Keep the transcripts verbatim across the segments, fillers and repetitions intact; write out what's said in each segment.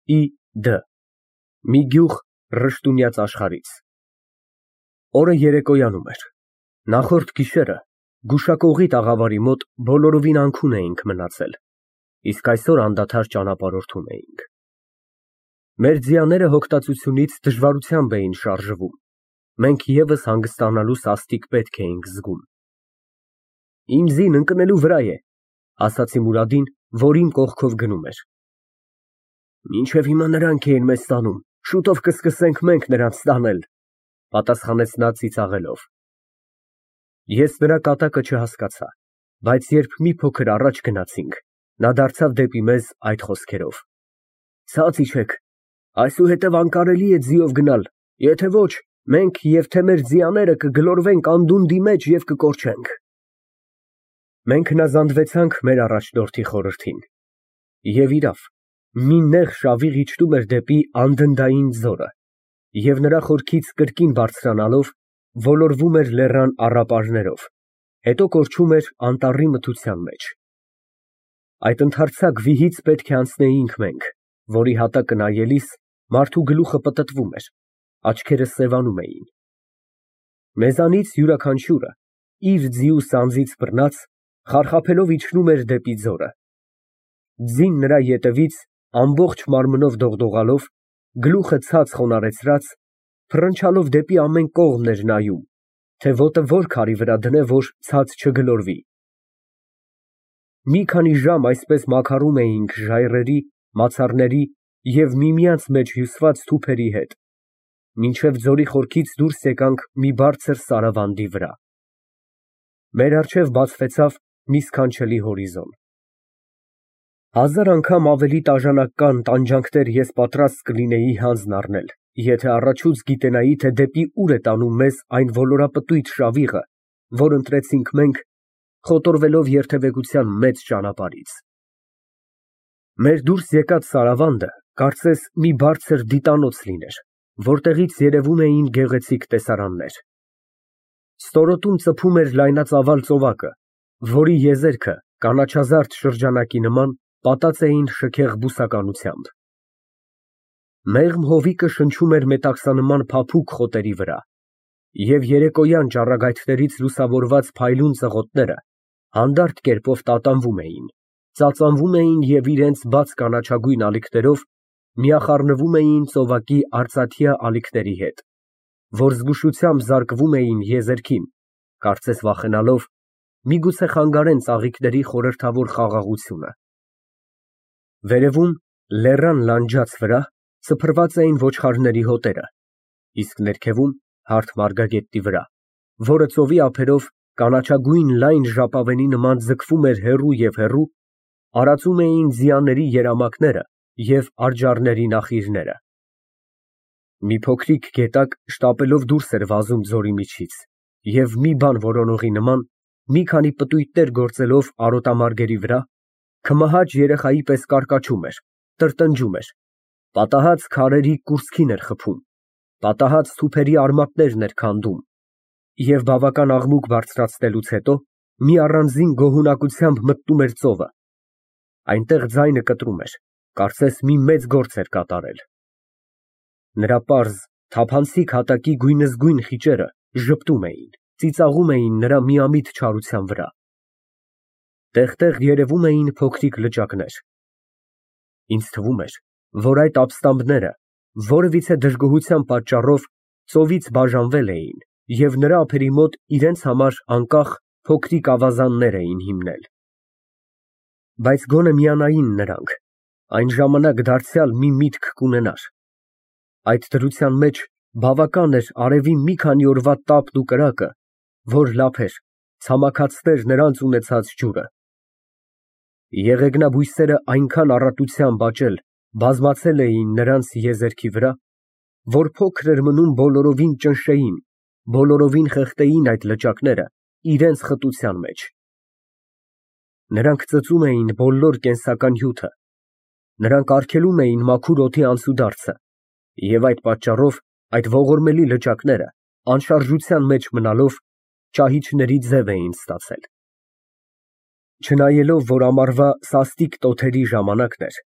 ի դը մի գյուղ Ռշտունյաց աշխարհից։ Օրը երեկոյանում էր։ Նախորդ գիշերը գուշակողի տաղավարի մոտ բոլորովին անքուն էինք մնացել, իսկ այսօր անդադար ճանապարհորդում էինք։ Մեր ձիաները հոգտածությունից դժվարությամբ էին շարժվում, մենք ևս հանգստանալու սաստիկ պետք էինք զգում։ Իմ ձին ընկնելու վրա է, ասացի Մուրադին, որ իմ կողքով գնում էր։ Մինչև հիմա նրանք էին մեզ տանում, շուտով կսկսենք մենք նրանց տանել, պատասխանեց նա ծիծաղելով։ Ես նրա կատակը չհասկացա, բայց երբ մի փոքր առաջ գնացինք, նա դարձավ դեպի մեզ այդ խոսքերով. Ցած իջեք, այսուհետև անկարելի է ձիով գնալ, եթե ոչ, մենք և թե մեր ձիաները կգլորվենք անդունդի մեջ և կկորչենք։ Մենք հնազանդվեցանք մեր առաջնորդի խորհրդին։ Եվ իրավ, մի նեղ շավիղ իջնում էր դեպի անդնդային ձորը, և նրա խորքից կրկին բարձրանալով ոլորվում էր լեռան առապարներով, հետո կորչում էր անտառի մթության մեջ։ Այդ ընդարձակ վիհից պետք է անցնեինք մենք, որի հատակը նայելիս մարդու գլուխը պտտվում էր, աչքերը սևանում էին։ Մեզանից յուրաքանչյուրը իր ձիու սանձից բռնած խարխափելով իջնում էր դեպի ձորը։ Ձին նրա ետևից ամբողջ մարմնով դողդողալով, գլուխը ցած խոնարհեցրած, փռնչալով դեպի ամեն կողմն էր նայում, թե ոտը որ քարի վրա դնե, որ ցած չգլորվի։ Մի քանի ժամ այսպես մաքարում էինք ժայռերի, մացառների և միմյանց մեջ հյուսված թութերի հետ, մինչև ձորի խորքից դուրս եկանք մի բարձր սարավանդի վրա։ Մեր առջև բացվեցավ մի սքանչելի հորիզոն։ Հազար անգամ ավելի տաժանական տանջանքներ ես պատրաստ կլինեի հանձն առնել, եթե առաջուց գիտենայի, թե դեպի ուր է տանում մեզ այն ոլորապտույտ շավիղը, որ ընտրեցինք մենք, խոտորվելով երթևեկության մեծ ճանապարհից։ Մեր դուրս եկած սարավանդը կարծես մի բարձր դիտանոց լիներ, որտեղից երևում էին գեղեցիկ տեսարաններ։ Ստորոտում ծփում էր լայնածավալ ծովակը, որի եզերքը կանաչազարդ շրջանակի նման պատած էին շքեղ բուսականությամբ։ Մեղմ հովիկը շնչում էր մետաքսանման փափուկ խոտերի վրա, և երեկոյան ճառագայթներից լուսավորված փայլուն ծղոտները հանդարտ կերպով տատանվում էին, ծածանվում էին և իրենց բաց կանաչագույն ալիքներով միախառնվում էին ծովակի արծաթյա ալիքների հետ, որ զգուշությամբ զարկվում էին եզերքին, կարծես վախենալով միգուցե խանգարեն ծաղիկների խորհրդավոր խաղաղությունը։ Վերևում, լեռան լանջաց վրա սփռված էին ոչխարների հոտերը, իսկ ներքևում, հարթ մարգագետի վրա, որը ծովի ափերով կանաչագույն լայն ժապավենի նման ձգվում էր հեռու և հեռու, արածում էին ձիաների երամակները և արջառների նախիրները։ Մի փոքրիկ գետակ շտապելով դուրս էր վազում ձորի միջից և մի բան որոնողի նման, մի քանի պտույտներ գործելով արոտամարգերի վրա, քմահաճ երեխայի պես կարկաչում էր, տրտնջում էր, պատահած քարերի կուրծքին էր խփում, պատահած թուփերի արմատներն էր քանդում և բավական աղմուկ բարձրացնելուց հետո մի առանձին գոհունակությամբ մտնում էր ծովը։ Այնտեղ ձայնը կտրում էր, կարծես մի մեծ գործ էր կատարել։ Նրա պարզ, թափանցիկ հատակի գույնզգույն խիճերը ժպտում էին, ծիծաղում էին նրա միամիտ չարության վրա։ Տեղ֊տեղ երևում էին փոքրիկ լճակներ։ Ինձ թվում էր, որ այդ ապստամբները որևիցե դժգոհության պատճառով ծովից բաժանվել էին և նրա ափերի մոտ իրենց համար անկախ փոքրիկ ավազաններ էին հիմնել։ Բայց գոնե միանային նրանք, այն ժամանակ դարձյալ մի միտք կունենար։ Այդ դրության մեջ բավական էր արևի մի քանի օրվա տապն ու կրակը, որ լափեր, ցամաքացներ նրանց ունեցած ջուրը։ Եղեգնաբույսերը այնքան առատությամբ աճել, բազմացել էին նրանց եզերքի վրա, որ փոքր էր մնում բոլորովին ճնշեին, բոլորովին խեղդեին այդ լճակները իրենց խտության մեջ։ Նրանք ծծում էին բոլոր կենսական հյութը, նրանք արգելում էին մաքուր օդի անցուդարձը և այդ պատճառով այդ ողորմելի լճակները, անշարժության մեջ մնալով, ճահիճների ձև էին ստացել։ Չնայելով, որ ամառվա սաստիկ տոթերի ժամանակն էր,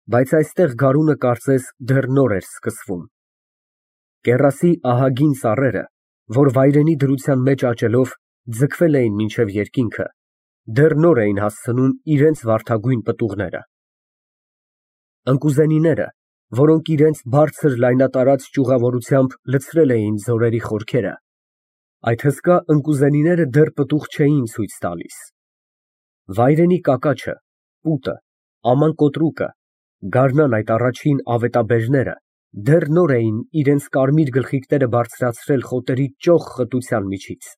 բայց այստեղ գարունը կարծես դեռ նոր էր սկսվում։ Կեռասի ահագին ծառերը, որ վայրենի դրության մեջ աճելով ձգվել էին մինչև երկինքը, դեռ նոր էին հասցնում իրենց վարդագույն պտուղները։ Ընկուզենիները, որոնք իրենց բարձր լայնատարած ճյուղավորությամբ լցրել էին ձորերի խորքերը, այդ հսկա ընկուզենիները դեռ պտուղ չէին ցույց տալիս։ Վայրենի կակաչը, պուտը, աման կոտրուկը, գարնան այդ առաջին ավետաբեժները դեռ նոր էին իրենց կարմիր գլխիկները բարձրացրել խոտերի ճոխ խտության միջից։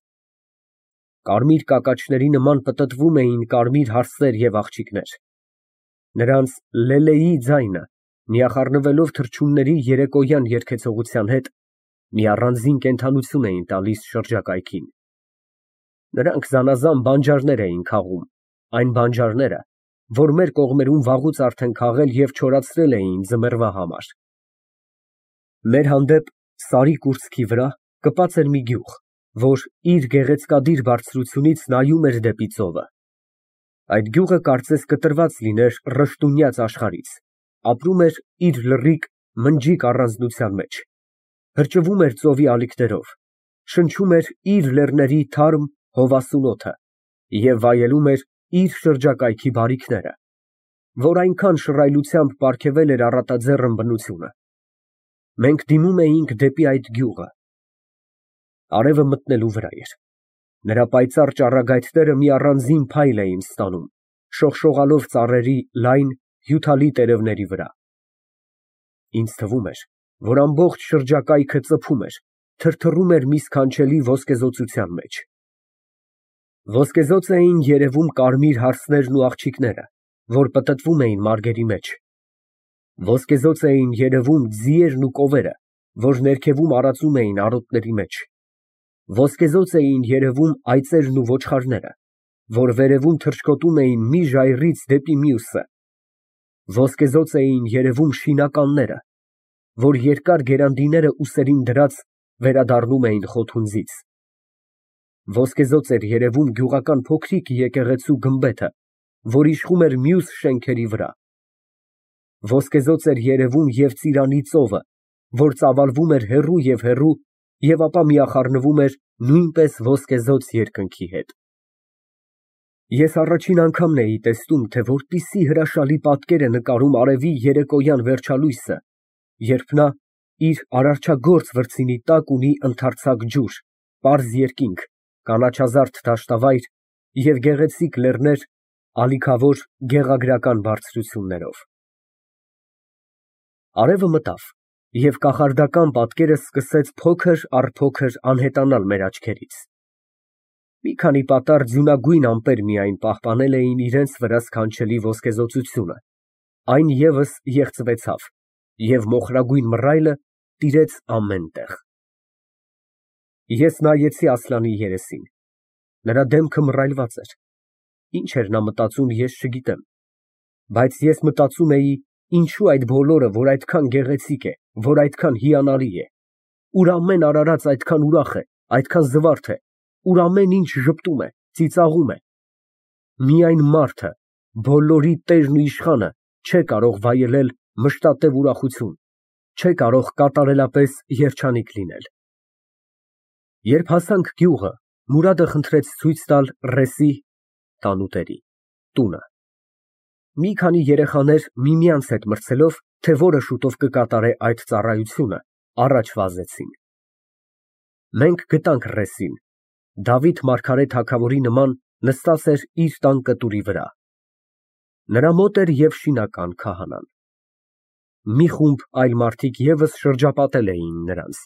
Կարմիր կակաչների նման պտտվում էին կարմիր հարսեր և աղջիկներ։ Նրանց լելեի ձայնը, միախառնվելով թռչունների երեկոյան երգեցողության հետ, մի առանձին կենդանություն էին տալիս շրջակայքին։ Նրանք զանազան բանջարներ էին քաղում, այն բանջարները, որ մեր կողմերում վաղուց արդեն քաղել և չորացրել էին ձմեռվա համար։ Մեր հանդեպ, սարի կուրծքի վրա, կպած էր մի գյուղ, որ իր գեղեցկադիր բարձրությունից նայում էր դեպի ծովը։ Այդ գյուղը կարծես կտրված լիներ ռշտունյաց աշխարհից, ապրում էր իր լռիկ, մնջիկ առանձնության մեջ, հրճվում էր ծովի ալիքներով, շնչում էր իր լեռների թարմ, հովասուն օդը և վայելում էր իր շրջակայքի բարիքները, որ այնքան շռայլությամբ պարգևել էր առատաձեռն բնությունը։ Մենք դիմում էինք դեպի այդ գյուղը։ Արևը մտնելու վրա էր։ Նրա պայծառ ճառագայթները մի առանձին փայլ էին ստանում, շողշողալով ծառերի լայն, հյութալի տերևների վրա։ Ինձ թվում էր, որ ամբողջ շրջակայքը ծփում էր, թրթռում էր մի սքանչելի ոսկեզօծության մեջ։ Ոսկեզօծ էին երևում կարմիր հարսներն ու աղջիկները, որ պտտվում էին մարգերի մեջ։ Ոսկեզօծ էին երևում ձիերն ու կովերը, որ ներքևում արածում էին արոտների մեջ։ Ոսկեզօծ էին երևում այծերն ու ոչխարները, որ վերևում թռչկոտում էին մի ժայռից դեպի մյուսը։ Ոսկեզօծ էին երևում շինականները, որ երկար գերանդիները ուսերին դրած վերադառնում էին խոթունձից։ Ոսկեզօծ էր երևում գյուղական փոքրիկ եկեղեցու գմբեթը, որ իշխում էր մյուս շենքերի վրա։ Ոսկեզօծ էր երևում և ծիրանի ծովը, որ ծավալվում էր հեռու և հեռու և ապա միախառնվում էր նույնպես ոսկեզօծ երկնքի հետ։ Ես առաջին անգամն էի տեսնում, թե որպիսի հրաշալի պատկեր է նկարում արևի երեկոյան վերջալույսը, երբ նա իր արարչագործ վրձինի տակ ունի ընդարձակ ջուր, պարզ երկինք, կանաչազարդ դաշտավայր և գեղեցիկ լեռներ ալիքավոր գեղագրական բարձրություններով։ Արևը մտավ, և կախարդական պատկերը սկսեց փոքր առ փոքր անհետանալ մեր աչքերից։ Մի քանի պատառ ձյունագույն ամպեր միայն պահպանել էին իրենց վրա սքանչելի ոսկեզօծությունը, այն ևս եղծվեցավ, և մոխրագույն մռայլը տիրեց ամեն տեղ։ Ես նայեցի Ասլանի երեսին։ Նրա դեմքը մռայլված էր։ Ինչ էր նա մտածում, ես չգիտեմ, բայց ես մտածում էի, ինչո՞ւ այդ բոլորը, որ այդքան գեղեցիկ է, որ այդքան հիանալի է, ուր ամեն արարած այդքան ուրախ է, այդքան զվարթ է, ուր ամեն ինչ ժպտում է, ծիծաղում է, միայն մարդը, բոլորի տերն ու իշխանը, չէ կարող վայելել մշտատև ուրախություն, չէ կարող կատարելապես երջանիկ լինել։ Երբ հասանք գյուղը, Մուրադը խնդրեց ցույց տալ ռեսի (տանուտերի) տունը։ Մի քանի երեխաներ միմյանց հետ մրցելով, թե որը շուտով կկատարե այդ ծառայությունը, առաջ վազեցին։ Մենք գտանք ռեսին, Դավիթ մարգարե թագավորի նման նստած էր իր տան կտուրի վրա։ Նրա մոտ էր և շինական քահանան։ Մի խումբ այլ մարդիկ ևս շրջապատել էին նրանց։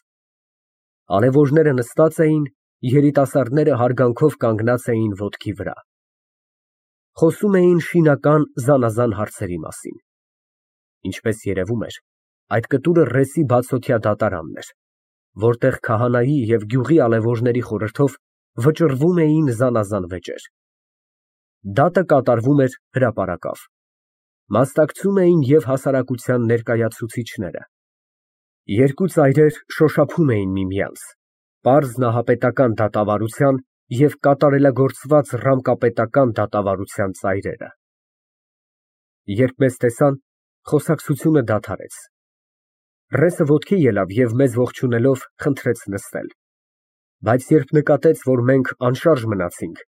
Արևորները նստած էին, երիտասարդները հարգանքով կանգնած էին ոտքի վրա։ Խոսում էին շինական զանազան հարցերի մասին։ Ինչպես երևում էր, այդ կտուրը ռեսի բացօթյա դատարանն էր, որտեղ քահանայի և գյուղի ալևորների խորհրդով վճռվում էին զանազան վեճեր։ Դատը կատարվում էր հրապարակավ։ Մասնակցում էին և հասարակության ներկայացուցիչները։ Երկու ծայրեր շոշափում էին միմյանց, պարզ նահապետական դատավարության և կատարելագործված ռամկապետական դատավարության ծայրերը։ Երբ մեզ տեսան, Խոսակցությունը դադարեց։ Ռեսը ոտքի ելավ և մեզ ողջունելով խնդրեց նստել, բայց երբ նկատեց, որ մենք անշարժ մնացինք,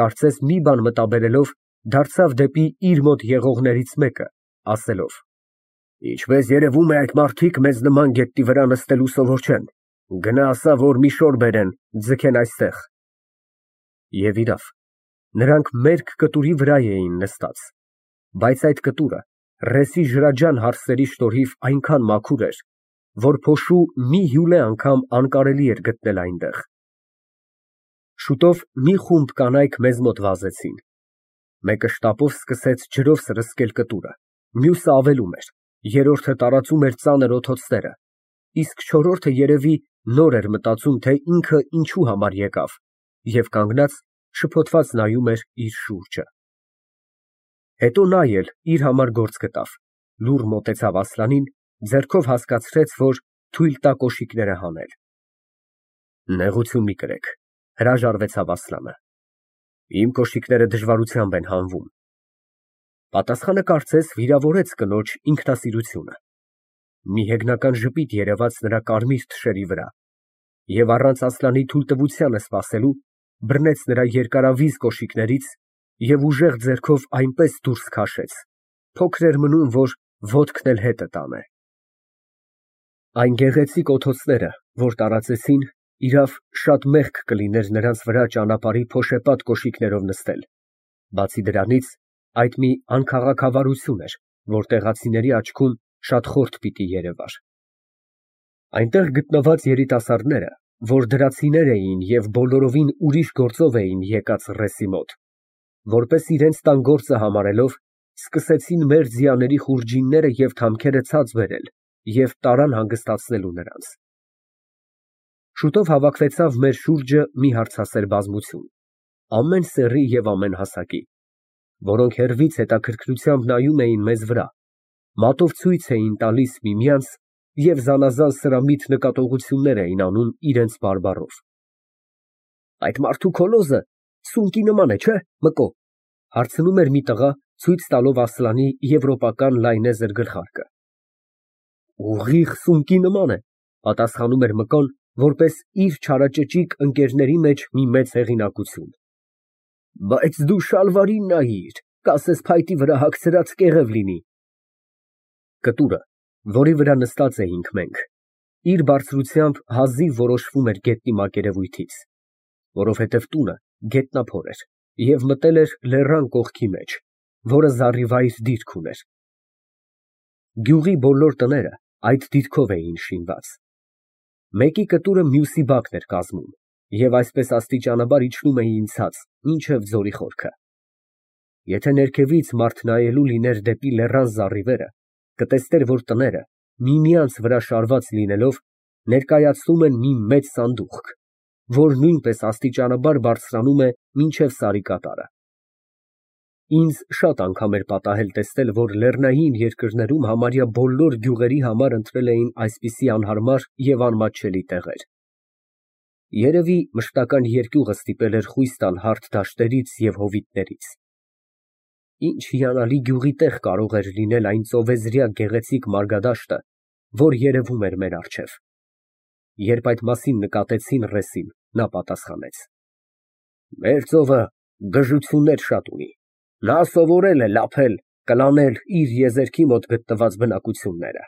կարծես մի բան մտաբերելով, դարձավ դեպի իր մոտ եղողներից մեկը, ասելով. Ինչպես երևում է, այդ մարդիկ մեզ նման գետնի վրա նստելու սովոր չեն, գնա ասա, որ մի շոր բերեն, ձգեն այստեղ։ Եվ իրավ, նրանք մերկ կտուրի վրա էին նստած, բայց այդ կտուրը ռեսի ջրաջան հարսերի շնորհիվ այնքան մաքուր էր, որ փոշու մի հյուրե անգամ անկարելի էր գտնել այնտեղ։ Շուտով մի խումբ կանայք մեզ մոտ վազեցին։ Մեկը շտապով սկսեց ջրով սրսկել կտուրը, մյուսը ավելում էր, երրորդը տարածում էր ծանր օդոցները, իսկ չորրորդը երևի նոր էր մտածում, թե ինքը ինչու համար եկավ, և կանգնած շփոթված նայում էր իր շուրջը։ Հետո նա էլ իր համար գործ գտավ, լուռ մոտեցավ Ասլանին, ձեռքով հասկացրեց, որ թույլ տա կոշիկները հանել։ Նեղություն մի կրեք, հրաժարվեցավ Ասլանը, իմ կոշիկները դժվարությամբ են հանվում։ Պատասխանը կարծես վիրավորեց կնոջ ինքնասիրությունը։ Մի հեգնական ժպիտ երևաց նրա կարմիր թշերի վրա, և առանց Ասլանի թույլտվությանը սպասելու, բռնեց նրա երկարավիզ կոշիկներից և ուժեղ ձեռքով այնպես դուրս քաշեց, փոքր էր մնում, որ ոտքն էլ հետը տանե։ Այն գեղեցիկ օդոցները, որ տարածեցին, իրավ, շատ մեղք կլիներ նրանց վրա ճանապարհի փոշեպատ կոշիկներով նստել, բացի դրանից, այդ մի անքաղաքավարություն էր, որ տեղացիների աչքում շատ խորթ պիտի երևար։ Այնտեղ գտնված երիտասարդները, որ դրացիներ էին և բոլորովին ուրիշ գործով էին եկած ռեսի մոտ, որպես իրենց տան գործը համարելով, սկսեցին մեր ձիաների խուրջինները և թամքերը ցած բերել և տարան հանգստացնելու նրանց։ Շուտով հավաքվեցավ մեր շուրջը մի հարցասեր բազմություն, ամեն սեռի և ամեն հասակի, որոնք հեռվից հետաքրքրությամբ նայում էին մեզ վրա, մատով ցույց էին տալիս միմյանց և զանազան սրամիտ նկատողություններ էին անում իրենց բարբառով։ Այդ մարդու քոլոզը սունկի նման է, չէ՞, Մկո, հարցնում էր մի տղա, ցույց տալով Ասլանի եվրոպական լայնեզր գլխարկը։ Ուղիղ սունկի նման է, պատասխանում էր Մկոն, որպես իր չարաճճիկ ընկերների մեջ մի մեծ հեղինակություն։ Բայց դու շալվարին նայիր, կասես փայտի վրա հագցրած կեղև լինի։ Կտուրը, որի վրա նստած էինք մենք, իր բարձրությամբ հազիվ որոշվում էր գետնի մակերևույթից, որովհետև տունը գետնափոր էր և մտել էր լեռան կողքի մեջ, որը զառիվայր դիրք ուներ։ Գյուղի բոլոր տները այդ դիրքով էին շինված։ Մեկի կտուրը մյուսի բակն էր կազմում, և այսպես աստիճանաբար իջնում էին ցած, մինչև ձորի խորքը։ Եթե ներքևից մարդ նայելու լիներ դեպի լեռան զառիվերը, կտեսներ, որ տները, միմյանց վրա շարված լինելով, ներկայացնում են մի մեծ սանդուղք, որ նույնպես աստիճանաբար բարձրանում է մինչև սարի կատարը։ Ինձ շատ անգամ էր պատահել տեսնել, որ լեռնային երկրներում համարյա բոլոր գյուղերի համար ընտրել էին այսպիսի անհարմար և անմատչելի տեղեր։ Երևի մշտական երկյուղը ստիպել էր խույս տալ հարթ դաշտերից և հովիտներից։ Ինչ հիանալի գյուղի տեղ կարող էր լինել այն ծովեզրյա գեղեցիկ մարգադաշտը, որ երևում էր մեր առջև։ Երբ այդ մասին նկատեցին ռեսին, նա պատասխանեց. Մեր ծովը գժություններ շատ ունի, նա սովորել է լափել, կլանել իր եզերքի մոտ գտնված բնակությունները։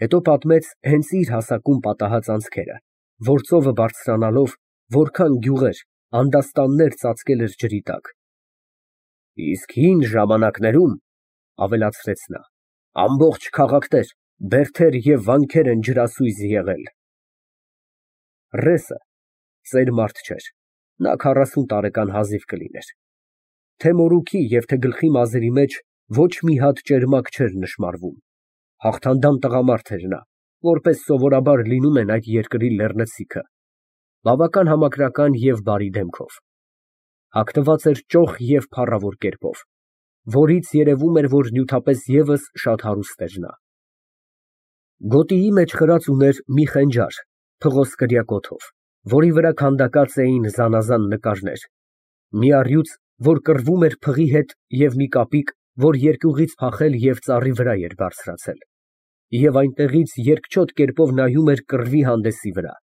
Հետո պատմեց հենց իր հասակում պատահած անցքերը, որ ծովը բարձրանալով որքան գյուղեր, անդաստաններ ծածկել էր ջրի տակ։ Իսկ հին ժամանակներում, ավելացրեց նա, ամբողջ քաղաքներ, բերդեր և վանքեր են ջրասույզ եղել։ Ռեսը ծեր մարդ չէր, նա քառասուն տարեկան հազիվ կլիներ։ Թե մորուքի և թե գլխի մազերի մեջ ոչ մի հատ ճերմակ չէր նշմարվում, հաղթանդամ տղամարդ էր նա, որպես սովորաբար լինում են այդ երկրի լեռնցիքը, բավական համակրական և բարի դեմքով։ Հագնված էր ճոխ և փառավոր կերպով, որից երևում էր, որ նյութապես ևս շատ հարուստ էր նա։ Գոտիի մեջ խրած ուներ մի խենջար փղոսկրյա կոթով, որի վրա քանդակած էին զանազան նկարներ, մի առյուծ, որ կռվում էր փղի հետ և մի կապիկ, որ երկյուղից փախել և ծառի վրա էր բարձրացել, և այնտեղից երկչոտ կերպով նայում էր կռվի հանդեսի վրա։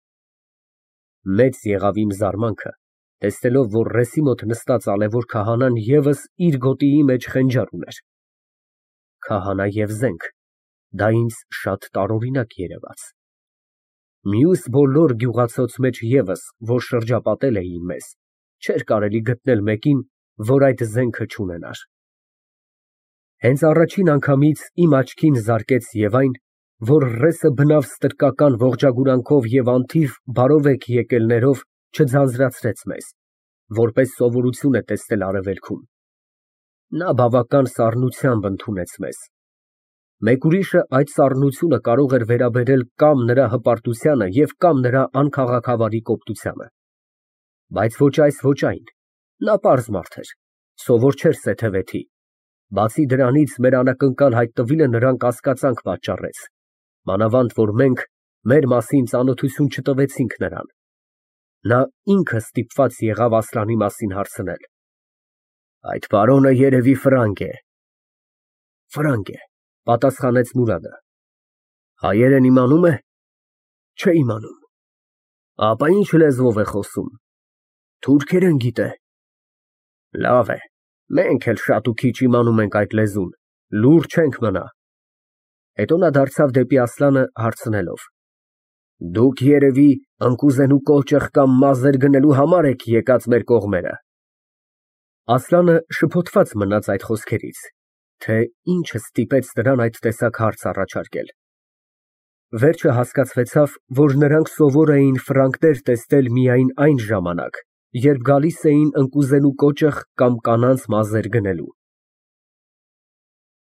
Մեծ եղավ իմ զարմանքը, տեսնելով, որ ռեսի մոտ նստած ալևոր քահանան ևս իր գոտիի մեջ խենջար ուներ։ Քահանա և զենք, դա ինձ շատ տարօրինակ երևաց։ Մյուս բոլոր գյուղացոց մեջ ևս, որ շրջապատել էին մեզ, չէր կարելի գտնել մեկին, որ այդ զենքը չունենար։ Հենց առաջին անգամից իմ աչքին զարկեց և այն, որ ռեսը բնավ ստրկական ողջագուրանքով և անթիվ բարովեկ եկելներով չձանձրացրեց մեզ, որպես սովորություն է տեսնել արևելքում։ Նա բավական սառնությամբ ընդունեց մեզ։ Մեկ ուրիշը այդ սառնությունը կարող էր վերաբերել կամ նրա հպարտությանը և կամ նրա անքաղաքավարի կոպտությանը։ Բայց ոչ այս, ոչ այն, նա պարզ մարդ էր, սովոր չէր սեթևեթի, բացի դրանից մեր անակնկալ հայտնվելը նրան կասկածանք պատճառեց, մանավանդ որ մենք մեր մասին ծանոթություն չտվեցինք նրան։ Նա ինքը ստիպված եղավ Ասլանի մասին հարցնել։ Այդ պարոնը երևի ֆրանկ է։ Ֆրանկ է, պատասխանեց Մուրադը։ Հայերեն իմանում է։ Չէ իմանում։ Ապա ինչ լեզվով է խոսում։ Թուրքերեն գիտե։ Լավ է, մենք էլ շատ ու քիչ իմանում ենք այդ լեզուն, լուռ չենք մնա։ Հետո նա դարձավ դեպի Ասլանը հարցնելով. Դուք երևի ընկուզենու կոճղ կամ մազեր գնելու համար եք եկած մեր կողմերը։ Ասլանը շփոթված մնաց այդ խոսքերից, թե ինչը ստիպեց նրան այդ տեսակ հարց առաջարկել։ Վերջը հասկացվեցավ, որ նրանք սովոր էին ֆրանկներ տեսնել միայն այն ժամանակ, երբ գալիս էին ընկուզենու կոճղ կամ կանանց մազեր գնելու։